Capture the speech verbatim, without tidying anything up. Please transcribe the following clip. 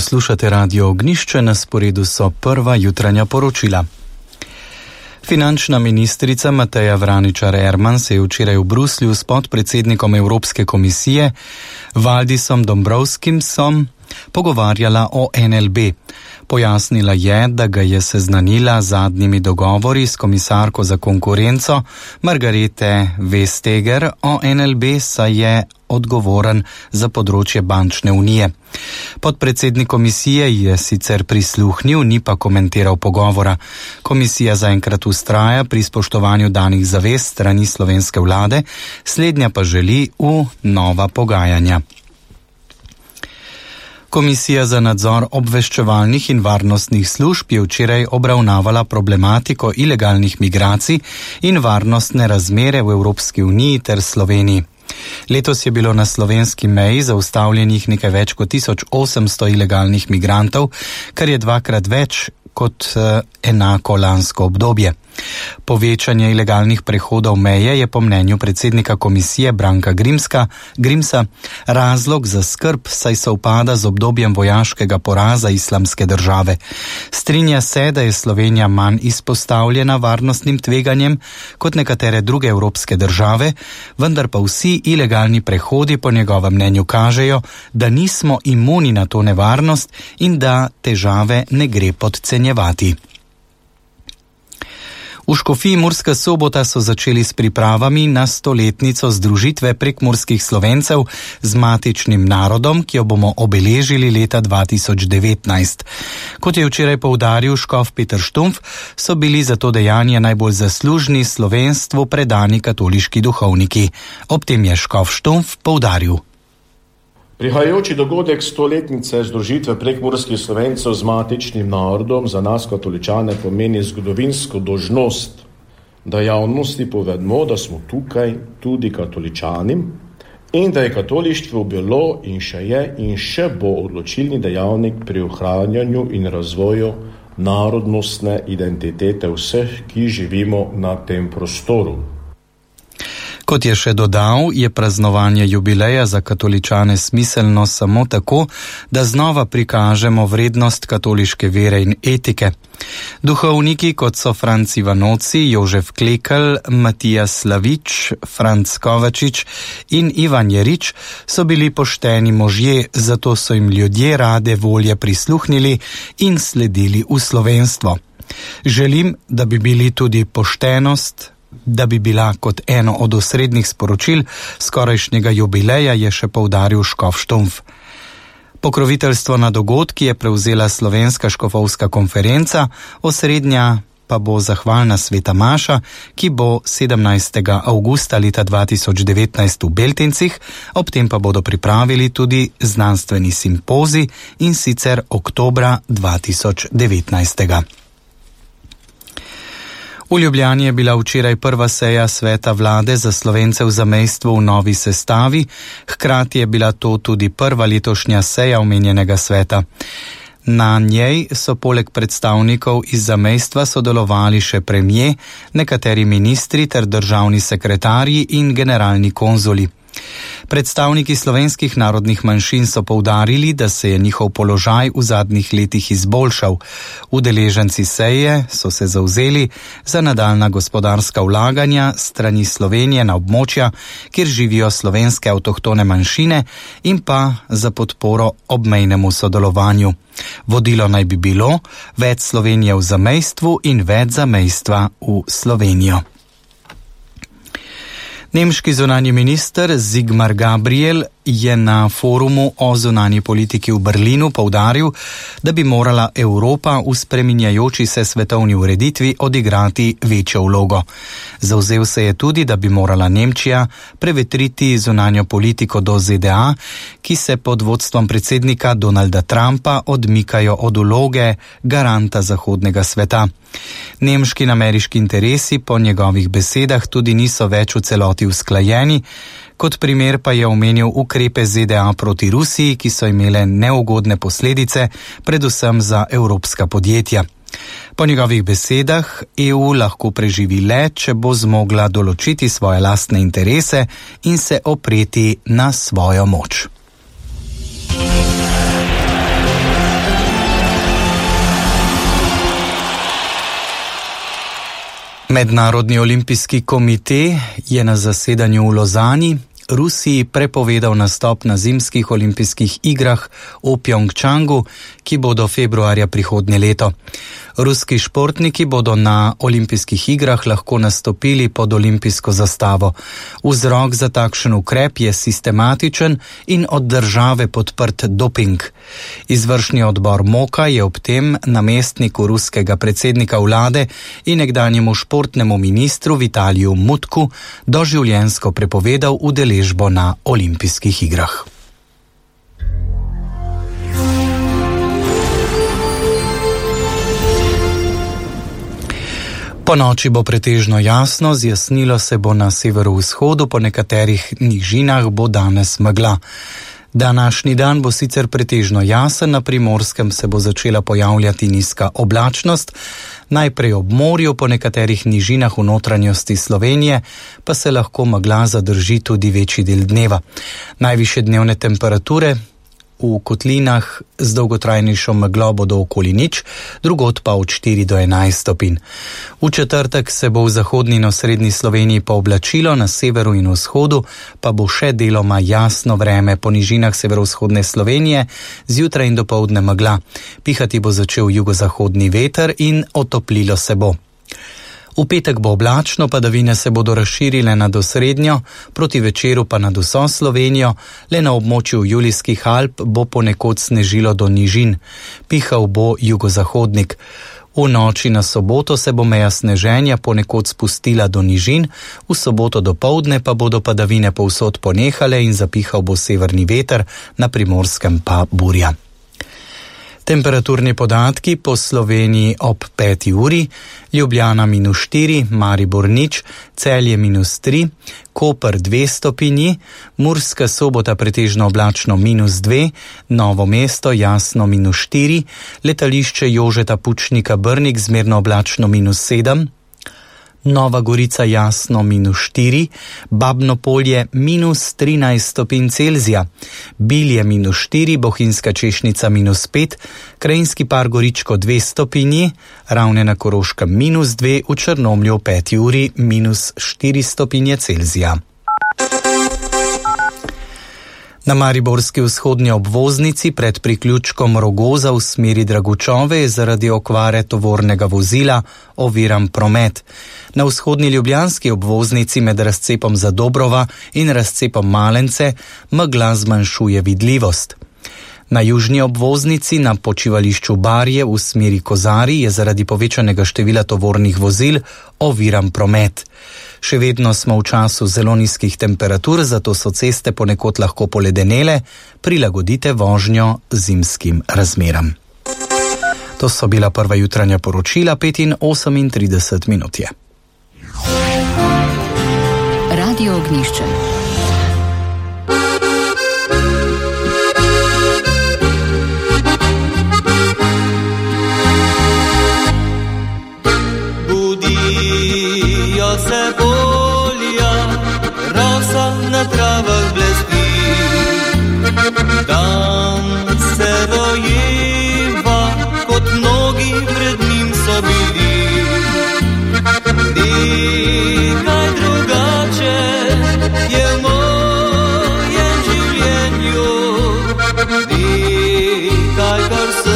Slušate Radio Ognjišče, na sporedu so prva jutranja poročila. Finančna ministrica Mateja Vraničar Erman se je včeraj v Bruslju s podpredsednikom Evropske komisije Valdisom Dombrovskimsom pogovarjala o en el be. Pojasnila je, da ga je seznanila z zadnjimi dogovori s komisarko za konkurenco Margarete Vestager o en el be, saj je odgovoren za področje bančne unije. Podpredsednik komisije je sicer prisluhnil, ni pa komentiral pogovora. Komisija zaenkrat vztraja pri spoštovanju danih zavez strani slovenske vlade, slednja pa želi v nova pogajanja. Komisija za nadzor obveščevalnih in varnostnih služb je včeraj obravnavala problematiko ilegalnih migracij in varnostne razmere v Evropski uniji ter Sloveniji. Letos je bilo na slovenski meji zaustavljenih nekaj več kot tisoč osemsto ilegalnih migrantov, kar je dvakrat več kot eh, enako lansko obdobje. Povečanje ilegalnih prehodov meje je po mnenju predsednika komisije Branka Grimska, Grimsa razlog za skrb, saj se upada z obdobjem vojaškega poraza Islamske države. Strinja se, da je Slovenija manj izpostavljena varnostnim tveganjem kot nekatere druge evropske države, vendar pa vsi ilegalni prehodi po njegovem mnenju kažejo, da nismo imuni na to nevarnost in da težave ne gre podcenjevati. V Škofiji Murska Sobota so začeli s pripravami na stoletnico združitve prekmurskih Slovencev z matičnim narodom, ki jo bomo obeležili leta dva tisoč devetnajst. Kot je včeraj poudaril škof Peter Štumpf, so bili za to dejanje najbolj zaslužni slovenstvu predani katoliški duhovniki. Ob tem je škof Štumpf poudaril: Prihajajoči dogodek stoletnice združitve prekmurskih Slovencev z matičnim narodom za nas katoličane pomeni zgodovinsko dolžnost, da javnosti povedmo, da smo tukaj tudi katoličani in da je katolištvo bilo in še je in še bo odločilni dejavnik pri ohranjanju in razvoju narodnostne identitete vseh, ki živimo na tem prostoru. Kot je še dodal, je praznovanje jubileja za katoličane smiselno samo tako, da znova prikažemo vrednost katoliške vere in etike. Duhovniki, kot so Franc Ivanoci, Jožef Klekel, Matija Slavič, Franc Kovačič in Ivan Jerič, so bili pošteni možje, zato so jim ljudje rade volje prisluhnili in sledili v slovenstvo. Želim, da bi bili tudi poštenost, da bi bila kot eno od osrednjih sporočil skorajšnjega jubileja, je še poudaril škof Štumpf. Pokroviteljstvo na dogodki je prevzela Slovenska škofovska konferenca, osrednja pa bo zahvalna sveta maša, ki bo sedemnajstega avgusta leta dva tisoč devetnajst v Beltincih, ob tem pa bodo pripravili tudi znanstveni simpozij, in sicer oktobra dva tisoč devetnajst. V Ljubljani je bila včeraj prva seja sveta vlade za Slovence v zamejstvu v novi sestavi, hkrati je bila to tudi prva letošnja seja omenjenega sveta. Na njej so poleg predstavnikov iz zamejstva sodelovali še premier, nekateri ministri ter državni sekretarji in generalni konzuli. Predstavniki slovenskih narodnih manjšin so poudarili, da se je njihov položaj v zadnjih letih izboljšal. Udeleženci seje so se zavzeli za nadaljnja gospodarska vlaganja strani Slovenije na območja, kjer živijo slovenske avtohtone manjšine, in pa za podporo obmejnemu sodelovanju. Vodilo naj bi bilo več Slovenije v zamejstvu in več zamejstva v Slovenijo. Nemški zunanji minister Sigmar Gabriel je na forumu o zunanji politiki v Berlinu poudaril, da bi morala Evropa v spreminjajoči se svetovni ureditvi odigrati večjo vlogo. Zavzel se je tudi, da bi morala Nemčija prevetriti zunanjo politiko do Z D A, ki se pod vodstvom predsednika Donalda Trumpa odmikajo od vloge garanta zahodnega sveta. Nemški in ameriški interesi po njegovih besedah tudi niso več v celoti usklajeni. Kot primer pa je omenil ukrepe Z D A proti Rusiji, ki so imele neugodne posledice, predvsem za evropska podjetja. Po njegovih besedah E U lahko preživi le, če bo zmogla določiti svoje lastne interese in se opreti na svojo moč. Mednarodni olimpijski komite je na zasedanju v Lozani Rusiji prepovedal nastop na zimskih olimpijskih igrah v Pjongčangu, ki bodo februarja prihodnje leto. Ruski športniki bodo na olimpijskih igrah lahko nastopili pod olimpijsko zastavo. Vzrok za takšen ukrep je sistematičen in od države podprt doping. Izvršni odbor MOKA je ob tem namestniku ruskega predsednika vlade in nekdanjemu športnemu ministru Vitaliju Mutku doživljenjsko prepovedal udeležbo na olimpijskih igrah. Po noči bo pretežno jasno, zjasnilo se bo na severovzhodu, po nekaterih nižinah bo danes megla. Današnji dan bo sicer pretežno jasen, na Primorskem se bo začela pojavljati nizka oblačnost, najprej ob morju, po nekaterih nižinah v notranjosti Slovenije pa se lahko megla zadrži tudi večji del dneva. Najvišje dnevne temperature v kotlinah z dolgotrajnejšo meglo bodo okoli nič, drugod pa od štiri do enajst stopinj. V četrtek se bo v zahodni in osrednji Sloveniji pooblačilo, na severu in vzhodu pa bo še deloma jasno vreme, po nižinah severovzhodne Slovenije zjutraj in dopoldne megla. Pihati bo začel jugozahodni veter in otoplilo se bo. V petek bo oblačno, padavine se bodo razširile nad osrednjo, proti večeru pa nad vso Slovenijo, le na območju Julijskih Alp bo ponekod snežilo do nižin. Pihal bo jugozahodnik. V noči na soboto se bo meja sneženja ponekod spustila do nižin, v soboto dopoldne pa bodo padavine povsod ponehale in zapihal bo severni veter, na Primorskem pa burja. Temperaturni podatki po Sloveniji ob peti uri: Ljubljana minus štiri, Maribor nič, Celje minus tri, Koper dve stopinji, Murska Sobota pretežno oblačno minus dve, Novo mesto jasno minus štiri, letališče Jožeta Pučnika Brnik zmerno oblačno minus sedem, Nova Gorica jasno minus štiri, Babno Polje minus trinajst stopinj Celzija, Bilje minus štiri, Bohinjska Češnica minus pet, Krajinski par Goričko dve stopinji, Ravne na Koroškem minus dve, v Črnomlju v peti uri minus štiri stopinje Celzija. Na mariborski vzhodnji obvoznici pred priključkom Rogoza v smeri Dragučove je zaradi okvare tovornega vozila oviran promet. Na vzhodni ljubljanski obvoznici med razcepom Zadobrova in razcepom Malence megla zmanjšuje vidljivost. Na južni obvoznici na počivališču Barje v smeri Kozari je zaradi povečanega števila tovornih vozil oviran promet. Še vedno smo v času zelo nizkih temperatur, zato so ceste ponekod lahko poledenele, prilagodite vožnjo zimskim razmeram. To so bila prva jutranja poročila, pet in osemintrideset minut je. Radio Ognjišče.